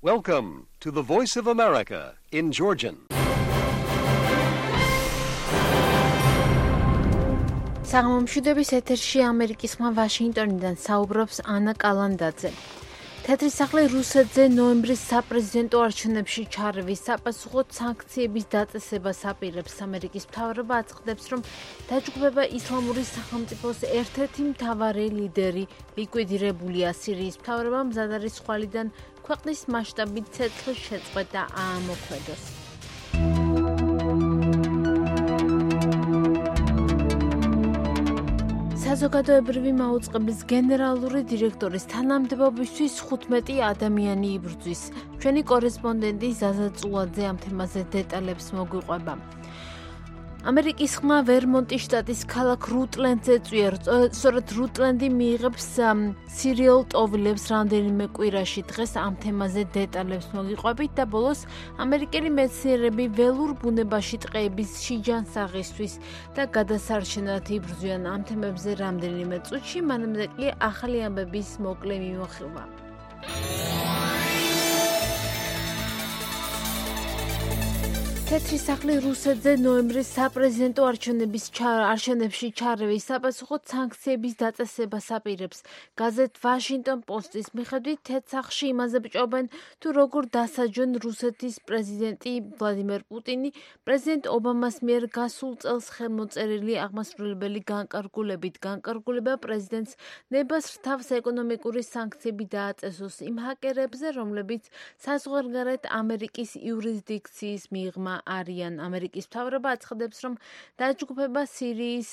Welcome to the Voice of America in Georgian. საღამომშვიდობის ეთერში ამერიკის ხმა ვაშინგტონიდან საუბრობს ანა კალანდაძე. თეთრი სახლი რუსეთზე ნოემბრის საპრეზიდენტო არჩევნებში ჩარევის საპასუხოდ სანქციების დაწესებას აპირებს. ამერიკის მთავრობა აცხადებს, რომ დაჯგუფება ისლამური სახელმწიფოს ერთ-ერთი მთავარი ლიდერი ლიკვიდირებულია. სირიის მთავრობა მზად არის ხვალიდან ქვეყნის მასშტაბით ცეცხლის შეწყვეტა აამოქმედოს. საზოგადოებრივი მაუწყებლის გენერალური დირექტორის თანამდებობისთვის 15 ადამიანი იბრძვის. ჩვენი კორესპონდენტი ზაზა წულაძე ამ თემაზე დეტალებს მოგვიყვება. ამერიკის ხმა ვერმონტის შტატის ქალაქ რუტლენდზე წვიერ. სწორედ რუტლენდი მიიღებს სირიულ ტოვილებს რამდენიმე კვირაში. დღეს ამ თემაზე დეტალებს მოგიყვებით და ბოლოს ამერიკელი მეცნიერები ველურ ბუნებაში ტყეების შიჯანსაღისთვის და გადასარჩენად იბრძვიან. ამ თემებზე რამდენიმე წუთში, მანამდე კი ახალი ამბების მოკლე მიმოხილვა. თეთრი სახლი რუსეთზე ნოემბრის საპრეზიდენტო არჩევნებში ჩარევის საპასუხოდ სანქციების დაწესებას აპირებს. გაზეთ ვაშინგტონ პოსტის მიხედვით თეთრ სახლში იმაზე ბჭობენ, თუ როგორ დასაჯონ რუსეთის პრეზიდენტი ვლადიმერ პუტინი პრეზიდენტ ობამას მიერ გასულ წელს ხელმოწერილი აღმასრულებელი განკარგულებით. განკარგულება პრეზიდენტს ნებას რთავს ეკონომიკური სანქციები დააწესოს იმ ჰაკერებზე, რომლებიც საზღვარგარეთ ამერიკის იურისდიქციის მიღმა არიან. ამერიკის მთავრობა აცხადებს, რომ დაჯგუფება სირიის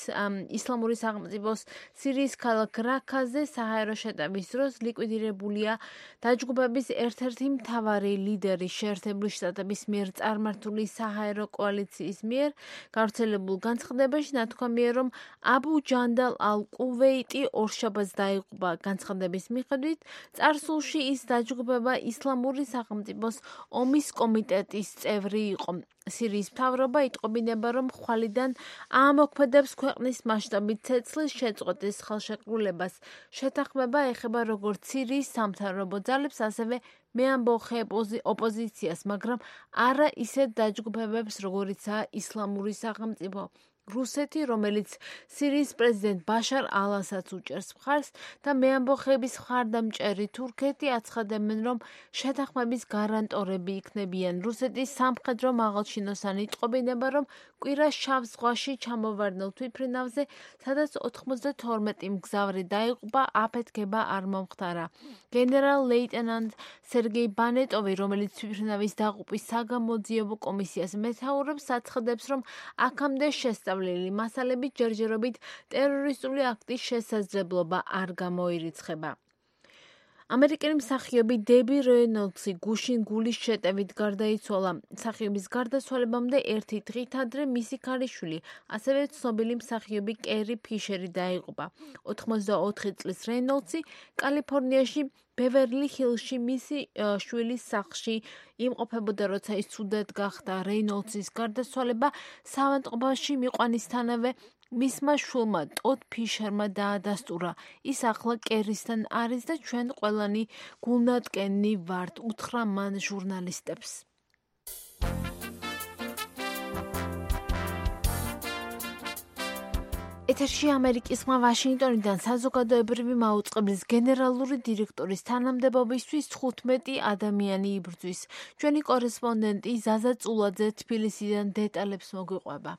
ისლამური სახელმწიფოს სირიის ქალაქ რაქაზე საჰაერო შეტევის დროს ლიკვიდირებულია. დაჯგუფების ერთ-ერთი მთავარი ლიდერი შეერთებული შტატების მიერ წარმართული საჰაერო კოალიციის მიერ გავრცელებულ განცხადებაში ნათქვამია, რომ აბუ ჯანდალ ალ-კუვეიტი ორშაბათს დაიღუპა. განცხადების მიხედვით წარსულში ის დაჯგუფება ისლამური სახელმწიფოს ომის კომიტეტის წევრი იყო. სირიის მთავრობა იტყობინება, რომ ხვალიდან აამოქმედებს ქვეყნის მასშტაბით ცეცხლის შეწყვეტის ხელშეკრულებას. შეთანხმება ეხება როგორც სირიის სამთავრობო ძალებს, ასევე მეამბოხე ოპოზიციას, მაგრამ არა ისეთ დაჯგუფებებს, როგორიცაა ისლამური სახელმწიფო. რუსეთი, რომელიც სირიის პრეზიდენტ ბაშარ ალ-ასადს უჭერს მხარს და მეამბოხეების მხარდამჭერი თურქეთი აცხადებენ, რომ შეთანხმების გარანტორები იქნებიან. რუსეთის სამხედრო მაღალჩინოსანი იტყობინება, რომ კვირას შავ ზღვაში ჩამოვარდნილ თვითმფრინავზე, სადაც 92 მგზავრი დაიღუპა, აფეთქება არ მომხდარა. გენერალ-ლეიტენანტ სერგეი ბანეტოვი, რომელიც თვითმფრინავის დაღუპვის საგამოძიებო კომისიას მეთაურობს, აცხადებს, რომ აქამდე შესწავლილი მასალებით ჯერჯერობით ტერორისტული აქტის შესაძლებლობა არ გამოირიცხება. ამერიკელი მსახიობი დები რეინოლდსი გუშინ გულის შეტევით გარდაიცვალა. მსახიობის გარდაცვალებამდე ერთი დღით ადრე მისი ქალიშვილი, ასევე ცნობილი მსახიობი კერი ფიშერი დაიღუპა. 84 წლის რეინოლდსი კალიფორნიაში ბევერლი ჰილში მისი შვილის სახლში იმყოფებოდა, როცა ის ცუდად გახდა. რეინოლდსის გარდაცვალება საავადმყოფოში მიყვანისთანავე მისმა შვილმა ტოდ ფიშერმა დაადასტურა. ის ახლა კერისთან არის და ჩვენ ყველანი გულნატკენი ვართ, უთხრა მან ჟურნალისტებს. ეთერში ამერიკის ხმა ვაშინგტონიდან საზოგადოებრივი მაუწყებლის გენერალური დირექტორის თანამდებობისთვის 15 ადამიანი იბრძვის. ჩვენი კორესპონდენტი ზაზა წულაძე თბილისიდან დეტალებს მოგვიყვება.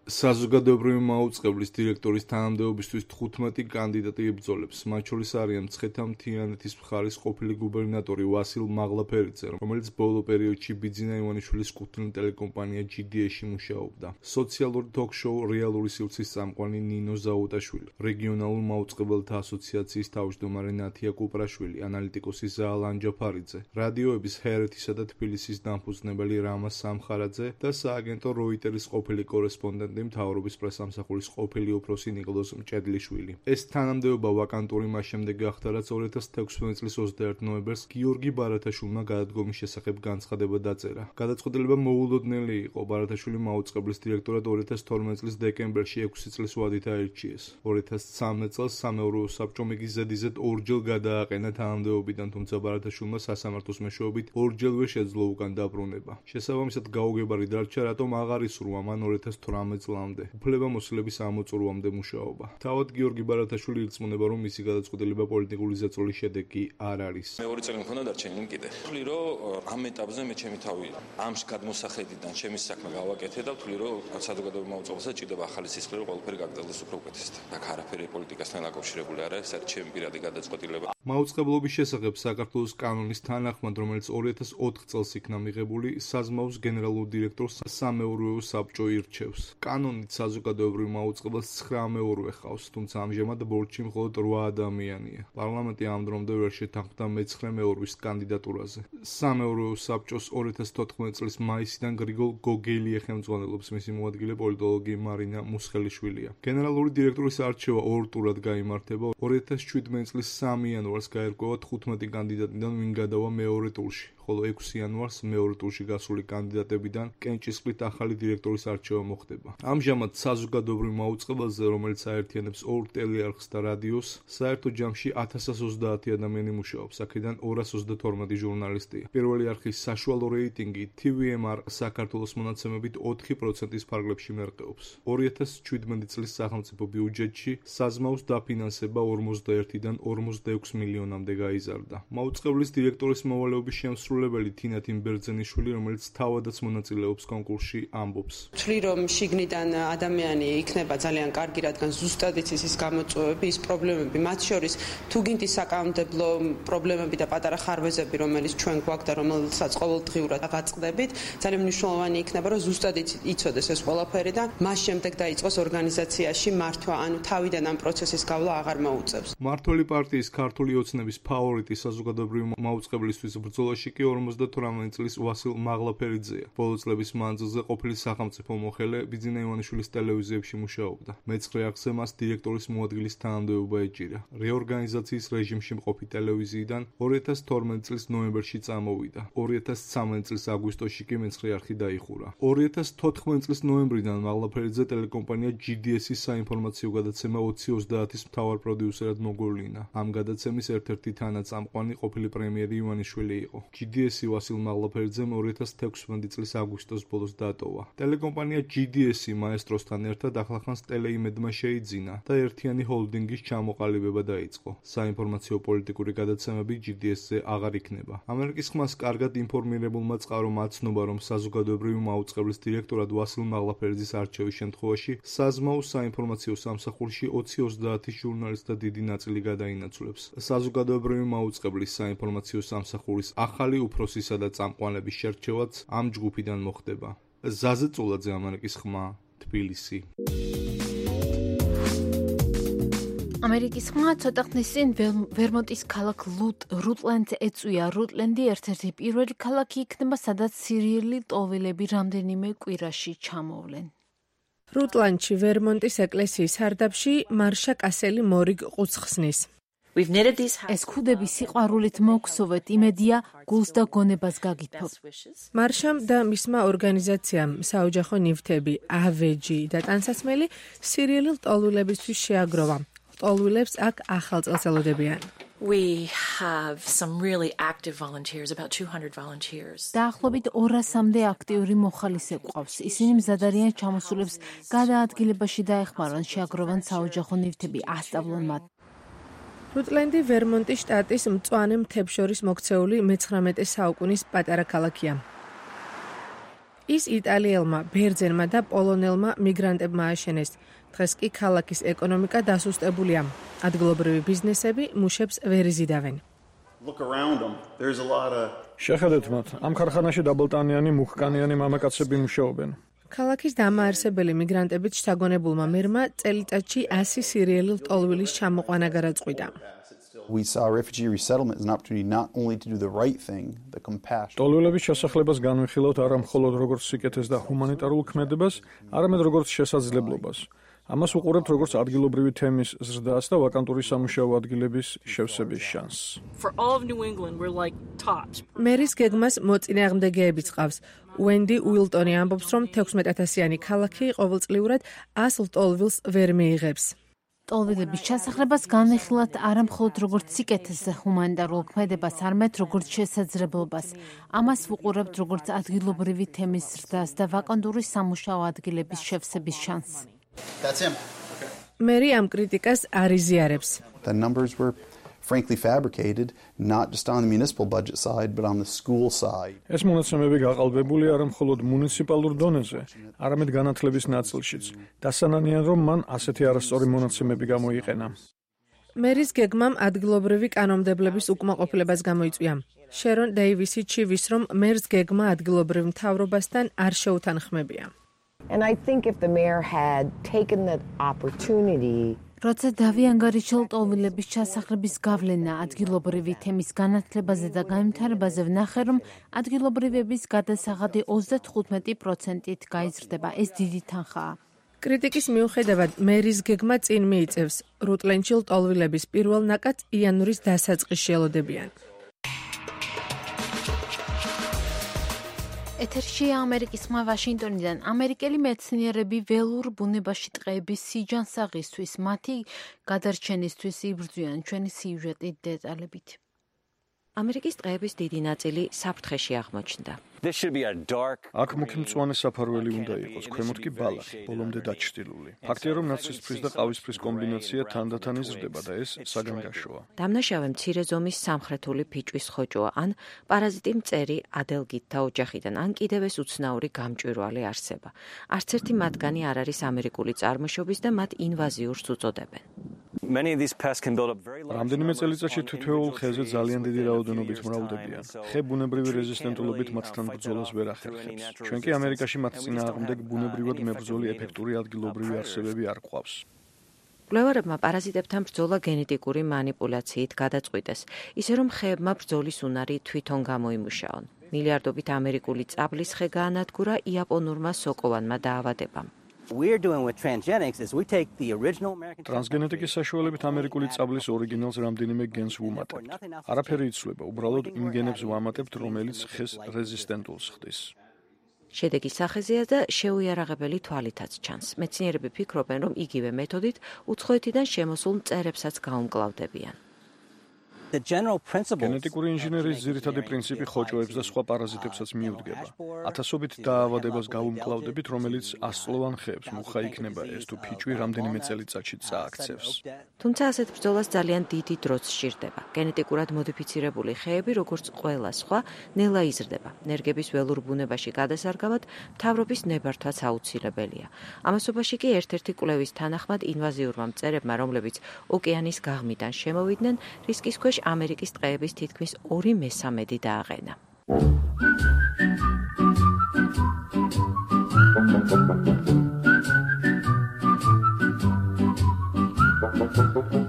საზოგადოებრივი მაუწყებლის დირექტორის თანამდებობისთვის 15 კანდიდატი იბრძოლებს. მათ შორის არიან მცხეთა-მთიანეთის მხარის ყოფილი გუბერნატორი ვასილ მაღლაფერიძე, რომელიც ბოლო პერიოდში ბიძინა ივანიშვილის კუთვნილ ტელეკომპანია GDS-ში მუშაობდა. სოციალური თოქ-შოუ რეალური სივრცის წამყვანი ნინო ზაუტაშვილი, რეგიონალურ მაუწყებელთა ასოციაციის თავმჯდომარე ნათია კუპრაშვილი, ანალიტიკოსი ზაალ ანჯაფარიძე, რადიოების ჰერეთისა და თბილისის დამფუძნებელი რამა სამხარაძე და სააგენტო როიტერის ყოფილი კორესპონდენტი მეთაურმდე მთავრობის პრესამსახურის ყოფილი უფროსი ნიკოლოზ მჭედლიშვილი. ეს თანამდებობა ვაკანტური მას შემდეგ გახდა, რაც 2016 წლის 21 ნოემბერს გიორგი ბარათაშვილმა გადადგომის შესახებ განცხადება დაწერა. გადაწყვეტილება მოულოდნელი იყო. ბარათაშვილი მაუწყებლის დირექტორად 2012 წლის დეკემბერში 6 წლის ვადით აირჩიეს. 2013 წელს სამეურვეო საბჭომ იგი ზედიზედ ორჯერ გადააყენა თანამდებობიდან, თუმცა ბარათაშვილმა სასამართლოს მეშვეობით ორჯერვე შეძლო უკან დაბრუნება. შესაბამისად გაუგებარი დარჩა, რატომ აღარ ისურვა მან 2018 წლამდე უფლებამოსილების ამოწურვამდე მუშაობა. თავად გიორგი ბარათაშვილი ირწმუნება, რომ მისი გადაწყვეტილება პოლიტიკური ზეწოლის შედეგი არ არის. მეორე წელი მქონდა დარჩენილი კიდე. ვთვლი, რომ ამ ეტაპზე მე ჩემი თავი ამ გადმოსახედიდან ჩემი საქმე გავაკეთე და ვთვლი, რომ საზოგადოებრივ მაუწყებელსაც ჭირდება ახალი სისხლი, რომ ყველაფერი გაგრძელდეს უფრო უკეთესად. აქ არაფერი პოლიტიკასთან დაკავშირებული არ არის, საერთოდ ჩემი პირადი გადაწყვეტილება. მაუწყებლობის შესახებ საქართველოს კანონის თანახმად, რომელიც 2004 წელს იქნა მიღებული, საზმაუს გენერალურ დირექტორს სამეურვეო საბჭო ირჩევს. კანონით საზოგადოებრივ მაუწყებელს 9 მეურვე ჰყავს, თუმცა ამჟამად ბორჩი მხოლოდ 8 ადამიანია. პარლამენტი ამ დრომდე ვერ შეთანხმდა მე-9 მეურვის კანდიდატურაზე. სამეურვეო საბჭოს 2014 წლის მაისიდან გრიგოლ გოგელი ეხელმძღვანელობს, მისი მოადგილე პოლიტოლოგი მარინა მუსხელიშვილია. გენერალური დირექტორის არჩევა ორ ტურად გაიმართება. 2017 წლის 3 იანვარს გაერკვევა 15 კანდიდატიდან, ვინ გადავა მეორე ტურში, ხოლო 6 იანვარს მეორე ტურში გასული კანდიდატებიდან კენჭისყრით ახალი დირექტორის არჩევა მოხდება. ამჟამად საზოგადოებრივ მაუწყებელზე, რომელიც აერთიანებს ორ ტელეარხს და რადიოს, საერთო ჯამში 1030 ადამიანი მუშაობს, აქედან 232 ჟურნალისტია. პირველი არხის საშუალო რეიტინგი TVMR საქართველოს მონაცემებით 4%-ის ფარგლებში მერყეობს. 2017 წლის სახელმწიფო ბიუჯეტში საზმაუს დაფინანსება 41-დან 46 მილიონამდე გაიზარდა. მაუწყებლის დირექტორის მოვალეობის შემსრულებელი თინა თიმბერძენიშვილი, რომელიც თავადაც მონაწილეობს კონკურსში, ამბობს. ვთვლი, რომ შიგნიდან ადამიანი იქნება ძალიან კარგი, რადგან ზუსტად იცის ის გამოწვევები, ის პრობლემები, მათ შორის თუ გინდ ის საკანონმდებლო პრობლემები და პატარა ხარვეზები, რომელიც ჩვენ გვაქვს და რომელსაც ყოველდღიურად ვაწყდებით, ძალიან მნიშვნელოვანი იქნება, რომ ზუსტად იცოდეს ეს ყველაფერი და მას შემდეგ დაიწყოს ორგანიზაციაში მართვა, ანუ თავიდან ამ პროცესის გავლა აღარ მოუწევს. მართველი პარტიის ქართული ოცნების ფავორიტი საზოგადოებრივ მაუწყებლისთვის ბრძოლაში კი 58 წლის ვასილ მაღლაფერიძეა. ბოლო წლების მანძილზე ყოფილი სახელმწიფო მოხელე ბიძინა ივანიშვილის ტელევიზიებში მუშაობდა. მე-9 არხზე მას დირექტორის მოადგილის თანამდებობა ეჭირა. რეორგანიზაციის რეჟიმში მყოფი ტელევიზიიდან 2012 წლის ნოემბერში წამოვიდა. 2013 წლის აგვისტოში კი მე-9 არხი დაიხურა. 2014 წლის ნოემბრიდან მაღლაფერიძე ტელეკომპანია GDS-ის საინფორმაციო გადაცემა 2030-ის მთავარ პროდიუსერად მოგვევლინა. ამ გადაცემის ერთ-ერთი თანაწამყვანი ყოფილი პრემიერი ივანიშვილი იყო. GDS-ი ვასილ მაღლაფერიძემ 2016 წლის აგვისტოს ბოლოს დატოვა. ტელეკომპანია GDS-ი მაესტროსთან ერთად ახლახანს ტელეიმედმა შეიძინა და ერთიანი ჰოლდინგის ჩამოყალიბება დაიწყო. საინფორმაციო პოლიტიკური გადაცემები GDS-ზე აღარ იქნება. ამერიკის ხმას კარგად ინფორმირებულმა წყარომ აცნობა, რომ საზოგადოებრივი მაუწყებლის დირექტორად ვასილ მაღლაფერიძის არჩევის შემთხვევაში საზმაუს საინფორმაციო სამსახურში 20-30 ჟურნალისტ და დიდი ნაწილი გადაინაცვლებს. საზოგადოებრივი მაუწყებლის საინფორმაციო სამსახურის ახალი უფროსისა და წამყვანების შერჩევაც ამ ჯგუფიდან მოხდება. ზაზე წულაძე, ამერიკის ხმა, თბილისი. ამერიკის ხმა ცოტა ხნის წინ ვერმონტის ქალაქ რუტლენდს ეწვია. რუტლენდი ერთ-ერთი პირველი ქალაქი იქნება, სადაც სირიელი ტოველები რამდენიმე კვირაში ჩამოვლენ. რუტლანდში ვერმონტის ეკლესიის სარდაფში მარშა კასელი მორიგ ყუთს ხსნის. ეს ქუდები სიყვარულით მოგსოვეთ, იმედია გულს და გონებას გაგითხოვთ. მარშამ და მისმა ორგანიზაციამ საოჯახო ნივთები, ავეჯი და ტანსაცმელი სირიელი ლტოლვილებისთვის შეაგროვა. ლტოლვილებს აქ ახალწელს ელოდებიან. We have some really active volunteers, about 200 volunteers. დაახლოებით 200-მდე აქტიური მოხალისე გვყავს. ისინი მზად არიან ჩამოსულებს გადაადგილებაში დაეხმარონ, შეაგროვან საოჯახო ნივთები, ასწავლონ მათ. რუტლენდი ვერმონტის შტატის მწვანე მთებს შორის მოქცეული მე-19 საუკუნის პატარა ქალაქია. ის იტალიელმა, ბერძენმა და პოლონელმა მიგრანტებმა ააშენეს. დღეს კი ქალაქის ეკონომიკა დასუსტებულია. ადგილობრივი ბიზნესები მუშებს ვერ იზიდავენ. შეხედეთ მათ, ამ ქარხანაში დაბალტანიანი მუხკანიანი მამაკაცები მუშაობენ. ქალაქის დამაარსებელი მიგრანტებით შთაგონებულმა მერმა წელიწადში 100 სირიელი ლტოლვილის ჩამოყვანა გადაწყვიტა. We saw refugee resettlement as an opportunity not only to do the right thing, the compassion. ტოლვილების შესახლებას განვიხილავთ არა მხოლოდ როგორც სიკეთეს და ჰუმანიტარულ ქმედებას, არამედ როგორც შესაძლებლობას. ამას უყურებთ როგორც ადგილობრივი თემის ზრდას და ვაკანტური სამუშაო ადგილების შევსების შანსს. For all of New England, we're like tops. მერის გეგმას მოწინააღმდეგეები წყავს. Wendy Wilton-ი ამბობს, რომ 16,000-იანი ქალაქი ყოველწლიურად 100 ტოლვილს ვერ მიიღებს. ტოლვილების ჩასახლებას განვიხილავთ არა მხოლოდ როგორც სიკეთეს ჰუმანიტარულ ქმედებას, არამედ როგორც შესაძლებლობას. ამას ვუყურებთ როგორც ადგილობრივი თემის ზრდას და ვაკანტური სამუშაო ადგილების შევსების შანსს. That's him. მერი ამ კრიტიკას არ იზიარებს. The numbers were frankly fabricated, not just on the municipal budget side, but on the school side. ეს მონაცემები გაყალბებული არა მხოლოდ მუნიციპალურ დონეზე, არამედ განათლების ნაწილშიც. დასანანიან, რომ მან ასეთი არასწორი მონაცემები გამოიყენა. მერის გეგმამ ადგილობრივი კანონმდებლების უკმაყოფილებას გამოიწვია. შერონ დეივისი ჩივის, რომ მერს გეგმა ადგილობრივ მთავრობასთან არ შეუთანხმებია. And I think if the mayor had taken the opportunity როცა დავიანგარიშელ ტოლვილების ჩასახლების გავლენა ადგილობრივი თემის განათლებაზე და განვითარებაზე ვნახე, რომ ადგილობრივების გადასაღადი 35%-ით გაიზრდება. ეს დიდი თანხაა. კრიტიკის მიუხედავად, მერის გეგმა წინ მიიწევს. რუტლენდში ტოლვილების პირველ ნაკადს იანვრის დასაწყისში ელოდებიან. ეთერში ამერიკის ხმა ვაშინგტონიდან. ამერიკელი მეცნიერები ველურ ბუნებაში ტყეების სიჯანსაღისთვის, მათი გადარჩენისთვის იბრძვიან. ჩვენი სიუჟეტი დეტალებით. ამერიკის ტყეების დიდი ნაწილი საფრთხეში აღმოჩნდა. აქ მუქი მწვანე საფარველი უნდა იყოს, ქვემოთ კი ბალახი, ბოლომდე დაჩრდილული. ფაქტია, რომ ნაცრისფრის და ყავისფრის კომბინაცია თანდათან იზრდება და ეს საგანგაშოა. დამნაშავე მცირე ზომის სამხრეთული ფიჭვის ხოჭოა, ან პარაზიტი მწერი ადელგითთა ოჯახიდან, ან კიდევ ეს უცნაური გამჭვირვალე არსება. არც ერთი მათგანი არ არის ამერიკული წარმოშობის და მათ ინვაზიურს უწოდებენ. რამდენიმე წელიწადში თითოეულ ხეზე ძალიან დიდი რაოდენობით მრავლდებიან. ხე ბუნებრივი რეზისტენტულობით მათთან ბრძოლას ვერ ახერხებს. ჩვენ კი ამერიკაში მათ წინააღმდეგ ბუნებრივად მებრძოლი ეფექტური ადგილობრივი არსებები არ გვყავს. კვლევარებმა პარაზიტებთან ბრძოლა გენეტიკური манипуляციით გადაწყვიტეს, ისე რომ ხეებმა ბრძოლის უნარი თვითონ გამოიმუშაონ. მილიარდობით ამერიკული წაბლის ხე გაანადგურა იაპონურმა სოკოვანმა დაავადებამ. ტრანსგენეტიკის საშუალებით ამერიკული წაბლის ორიგინალს რამდენიმე გენს ვუმატებთ. არაფერი იცვლება, უბრალოდ იმ გენებს ვამატებთ, რომელიც ხეს რეზისტენტულს ხდის. შედეგი სახეზეა და შეუიარაღებელი თვალითაც ჩანს. მეცნიერები ფიქრობენ, რომ იგივე მეთოდით უცხოეთიდან შემოსულ მწერებსაც გაუმკლავდებიან. გენეტიკური ინჟინერიის ძირითადი პრინციპი ხოჭოებს და სხვა პარაზიტებსაც მიუდგება. ათასობით დაავადებას გავუმკლავდებით, რომელიც ასწლოვან ხეებს მუხა იქნება ეს თუ ფიჭვი რამდენიმე წელიწადში წააქცევს. თუმცა ასეთ ბრძოლას ძალიან დიდი დროც სჭირდება. გენეტიკურად მოდიფიცირებული ხეები, როგორც ყველა სხვა, ნელა იზრდება. ნერგების ველურ ბუნებაში გადასარგავად მთავრობის ნებართვაც აუცილებელია. ამასობაში კი ერთ-ერთი კვლევის თანახმად ინვაზიურმა მწერებმა, რომლებიც ოკეანის გაღმიდან შემოვიდნენ, რისკის ქვეშ ამერიკის ტყეების თითქმის 2/3 დააყენა.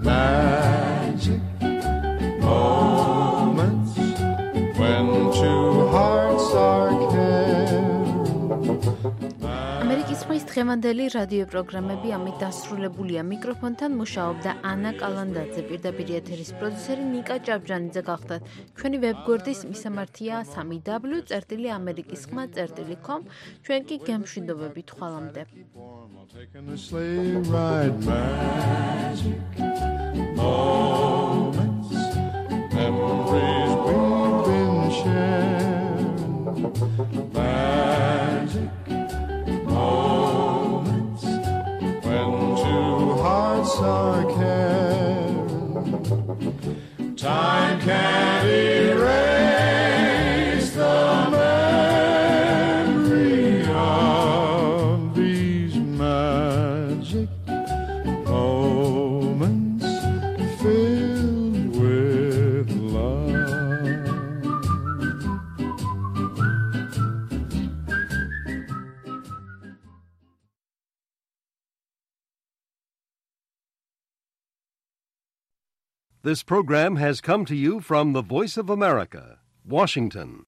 Magic moments when two hearts are ამერიკის ხმის დღევანდელი რადიო პროგრამები ამით დასრულებულია. მიკროფონთან მუშაობდა ანა კალანდაძე, პირდაპირ ეთერის პროდიუსერი ნიკა ჭავჭანიძე გახდათ. ჩვენი ვებგვერდის მისამართია 3w.amerikiskhma.com. ჩვენ კი გემშვიდობებით ხვალამდე. Moments when two hearts are caring. Time can't erase the memory of these magic moments filled with love. This program has come to you from the Voice of America, Washington.